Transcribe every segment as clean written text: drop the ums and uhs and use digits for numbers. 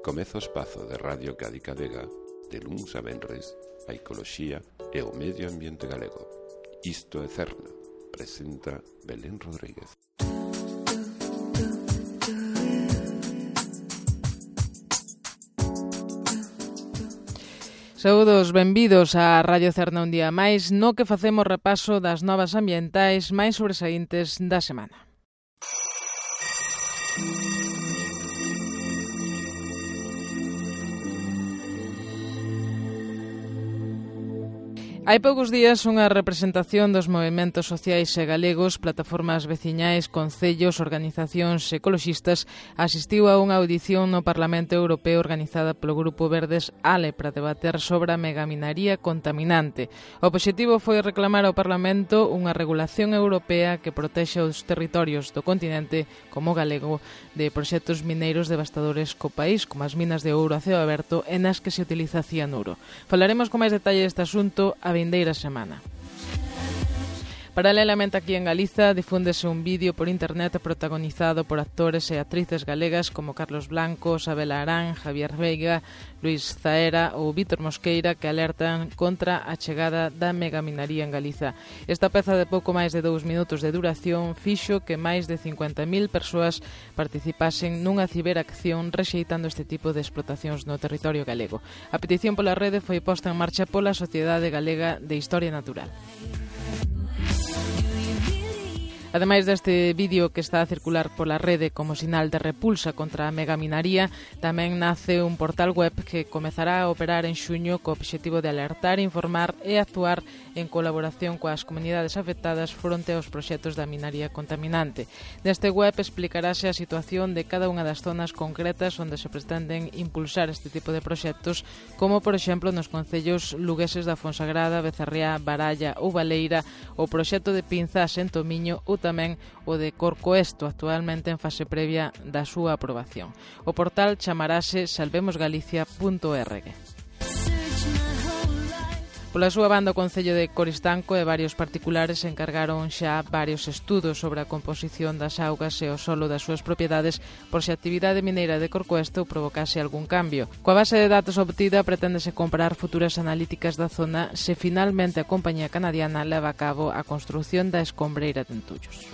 Comeza o espazo de Radio Cádiz Vega, de luns a venres, a ecoloxía e o medio ambiente galego. Isto é Cerna, presenta Belén Rodríguez. Saúdos, benvidos a Radio Cerna un día máis, no que facemos repaso das novas ambientais máis sobresaíntes da semana. Hai poucos días unha representación dos movementos sociais e galegos, plataformas veciñais, concellos, organizacións ecoloxistas asistiu a unha audición no Parlamento Europeo organizada polo Grupo Verdes ALE para debater sobre a megaminaría contaminante. O obxectivo foi reclamar ao Parlamento unha regulación europea que protexa os territorios do continente como galego de proxectos mineiros devastadores co país, como as minas de ouro a ceo aberto e nas que se utiliza cianuro. Falaremos con máis detalle deste asunto a vindeira semana. Paralelamente aquí en Galiza difúndese un vídeo por internet protagonizado por actores e actrices galegas como Carlos Blanco, Sabela Arán, Javier Veiga, Luis Zaera ou Vítor Mosqueira que alertan contra a chegada da megaminaría en Galiza. Esta peza de pouco máis de 2 minutos de duración fixo que máis de 50.000 persoas participasen nunha ciberacción rexeitando este tipo de explotacións no territorio galego. A petición pola rede foi posta en marcha pola Sociedade Galega de Historia Natural. Ademais deste vídeo que está a circular pola rede como sinal de repulsa contra a megaminaría, tamén nace un portal web que comezará a operar en xuño co obxectivo de alertar, informar e actuar en colaboración coas comunidades afectadas fronte aos proxectos da minaría contaminante. Neste web explicarase a situación de cada unha das zonas concretas onde se pretenden impulsar este tipo de proxectos, como por exemplo nos concellos lugueses da Fonsagrada, Becerriá, Baralla ou Baleira, o proxecto de Pinzas en Tomiño ou tamén o de Corcoesto, actualmente en fase previa da súa aprobación. O portal chamarase salvemosgalicia.org. Pola súa banda, o Concello de Coristanco e varios particulares encargaron xa varios estudos sobre a composición das augas e o solo das súas propiedades por se a actividade mineira de Corcoesto provocase algún cambio. Coa base de datos obtida preténdese comparar futuras analíticas da zona se finalmente a compañía canadiana leva a cabo a construción da escombreira de Entullos.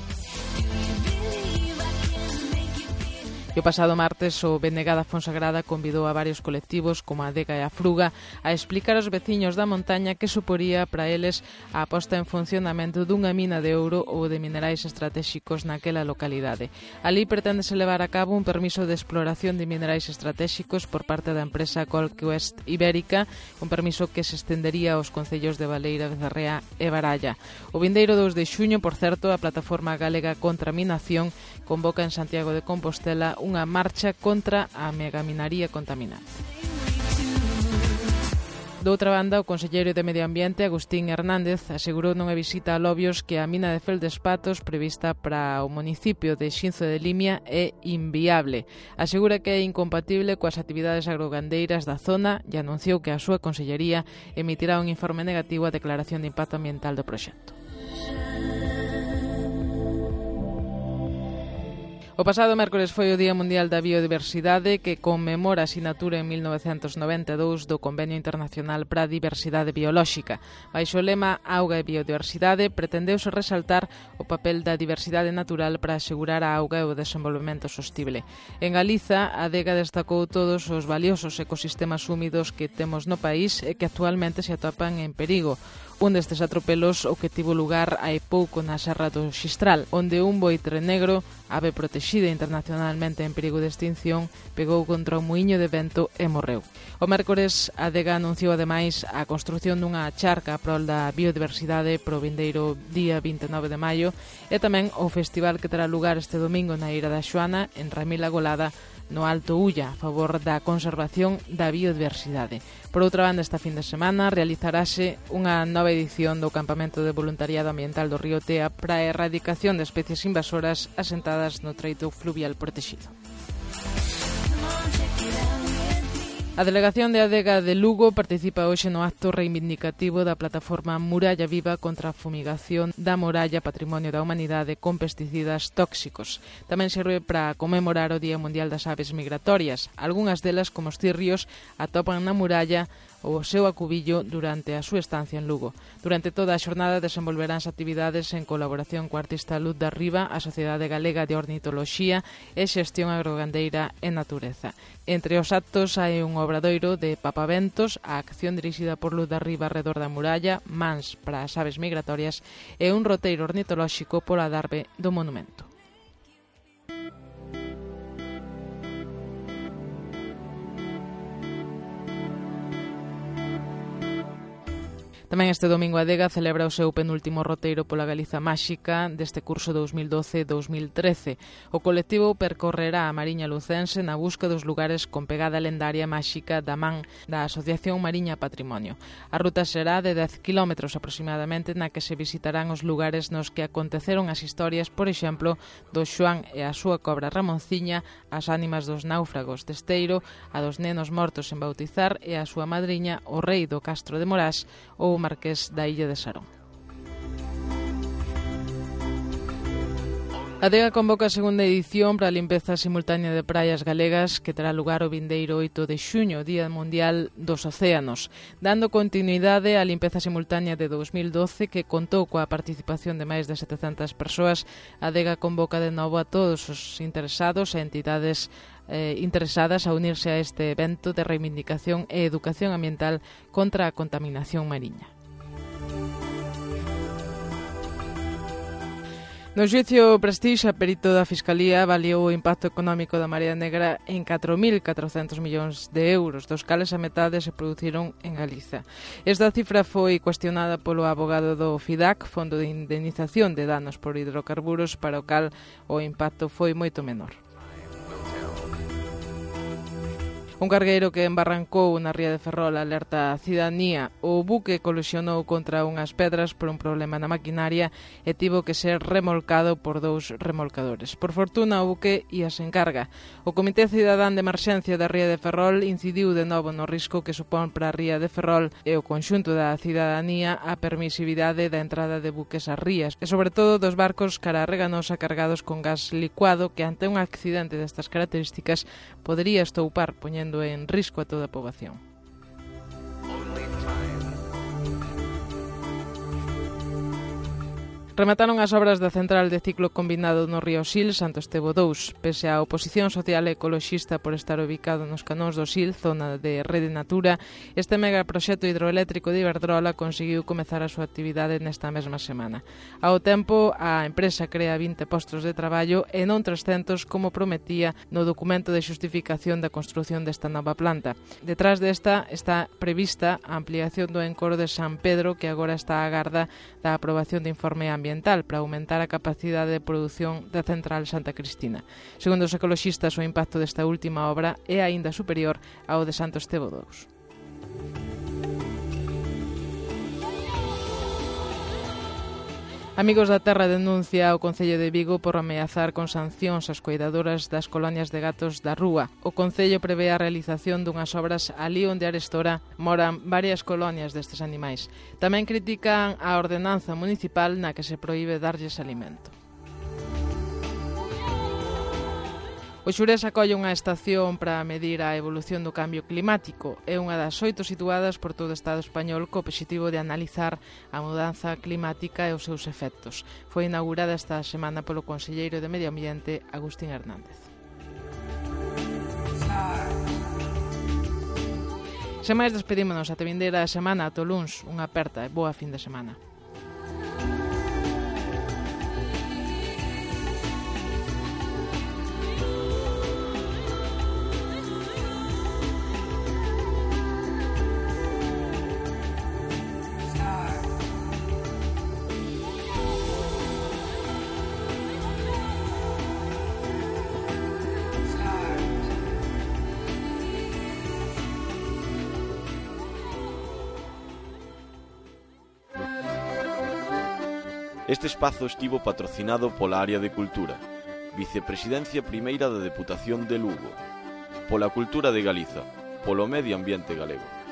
E o pasado martes o BNG da Fonsagrada convidou a varios colectivos como a Adega e a Fruga a explicar aos veciños da montaña que suporía para eles a posta en funcionamento dunha mina de ouro ou de minerais estratégicos naquela localidade. Ali preténdese levar a cabo un permiso de exploración de minerais estratégicos por parte da empresa Colquest Ibérica, un permiso que se estendería aos concellos de Baleira, Becerriá e Baralla. O vindeiro 2 de xuño, por certo, a Plataforma Galega contra a Minación convoca en Santiago de Compostela unha marcha contra a megaminaría contaminante. Doutra banda, o conselleiro de Medio Ambiente, Agustín Hernández, asegurou nunha visita a Lobios que a mina de Feldespatos prevista para o municipio de Xinzo de Limia é inviable. Asegura que é incompatible coas actividades agrogandeiras da zona e anunciou que a súa consellería emitirá un informe negativo á declaración de impacto ambiental do proxecto. O pasado mércores foi o Día Mundial da Biodiversidade que conmemora a sinatura en 1992 do Convenio Internacional para a Diversidade Biolóxica. Baixo o lema Auga e Biodiversidade pretendeuse resaltar o papel da diversidade natural para asegurar a auga e o desenvolvemento sostible. En Galiza, a Adega destacou todos os valiosos ecosistemas húmidos que temos no país e que actualmente se atopan en perigo. Un destes atropelos o que tivo lugar hai pouco na Serra do Xistral, onde un boitre negro, ave protexida internacionalmente en perigo de extinción, pegou contra un muiño de vento e morreu. O mércores, a Adega anunciou ademais a construción dunha charca a prol da biodiversidade pro vindeiro día 29 de maio e tamén o festival que terá lugar este domingo na Eira da Xoana, en Ramila Golada, no Alto Ulla, a favor da conservación da biodiversidade. Por outra banda, esta fin de semana realizarase unha nova edición do Campamento de Voluntariado Ambiental do Río Tea para a erradicación de especies invasoras asentadas no treito fluvial protegido. A delegación de Adega de Lugo participa hoxe no acto reivindicativo da plataforma Muralla Viva contra a fumigación da Moralla Patrimonio da Humanidade con pesticidas tóxicos. Tamén serve para conmemorar o Día Mundial das Aves Migratorias. Algunhas delas, como os cirrios, atopan na muralla o seu acubillo durante a súa estancia en Lugo. Durante toda a xornada desenvolveránse actividades en colaboración co artista Luz da Riva, a Sociedade Galega de Ornitoloxía e Xestión Agrogandeira e Natureza. Entre os actos hai un obradoiro de papaventos, a acción dirixida por Luz da Riva arredor da muralla, mans para as aves migratorias e un roteiro ornitolóxico pola adarve do monumento. Tamén este domingo a Adega celebra o seu penúltimo roteiro pola Galiza Máxica deste curso 2012-2013. O colectivo percorrerá a Mariña Lucense na busca dos lugares con pegada lendaria máxica da man da Asociación Mariña Patrimonio. A ruta será de 10 km aproximadamente, na que se visitarán os lugares nos que aconteceron as historias, por exemplo, do Xoán e a súa cobra Ramonciña, as ánimas dos náufragos de Esteiro, a dos nenos mortos en bautizar e a súa madriña, o rei do Castro de Morás ou Marqués da Illa de Sarón. A Adega convoca a segunda edición para a limpeza simultánea de praias galegas que terá lugar o vindeiro 8 de xuño, Día Mundial dos Océanos, dando continuidade á limpeza simultánea de 2012 que contou coa participación de máis de 700 persoas. A Adega convoca de novo a todos os interesados e entidades interesadas a unirse a este evento de reivindicación e educación ambiental contra a contaminación mariña. No xuicio Prestige, a perito da Fiscalía avaliou o impacto económico da Marea Negra en 4.400 millóns de euros, dos cales a metade se produciron en Galiza. Esta cifra foi cuestionada polo abogado do FIDAC, Fondo de Indemnización de Danos por Hidrocarburos, para o cal o impacto foi moito menor. Un cargueiro que embarrancou na ría de Ferrol alerta a cidadanía. O buque colisionou contra unhas pedras por un problema na maquinaria e tivo que ser remolcado por 2 remolcadores. Por fortuna, o buque ia sen carga. O Comité Cidadán de Emerxencia da ría de Ferrol incidiu de novo no risco que supón para a ría de Ferrol e o conxunto da cidadanía a permisividade da entrada de buques ás rías e, sobre todo, dos barcos cara a Reganosa cargados con gas licuado que, ante un accidente destas características, podería estoupar, poñendo en risco a toda a poboación. Remataron as obras da central de ciclo combinado no río Sil, Santo Estevo 2. Pese á oposición social e ecoloxista por estar ubicado nos canóns do Sil, zona de Rede Natura, este megaproxecto hidroeléctrico de Iberdrola conseguiu comezar a súa actividade nesta mesma semana. Ao tempo, a empresa crea 20 postos de traballo e non 300 como prometía no documento de xustificación da construción desta nova planta. Detrás desta está prevista a ampliación do encoro de San Pedro, que agora está á garda da aprobación de informe ambiental para aumentar a capacidade de produción da central Santa Cristina. Segundo os ecoloxistas, o impacto desta última obra é aínda superior ao de Santo Estevo 2. Amigos da Terra denuncia o Concello de Vigo por ameazar con sancións as coidadoras das colonias de gatos da Rúa. O Concello prevé a realización dunhas obras alí onde arestora moran varias colonias destes animais. Tamén critican a ordenanza municipal na que se proíbe darlles alimento. O Xurés acolle unha estación para medir a evolución do cambio climático. É unha das 8 situadas por todo o Estado español co obxectivo de analizar a mudanza climática e os seus efectos. Foi inaugurada esta semana polo conselleiro de Medio Ambiente, Agustín Hernández. Sen máis, despedímonos ate vindeira semana, ata o luns. Unha aperta e boa fin de semana. Este espazo estivo patrocinado pola Área de Cultura, Vicepresidencia Primeira da Deputación de Lugo, pola Cultura de Galiza, polo medio ambiente galego.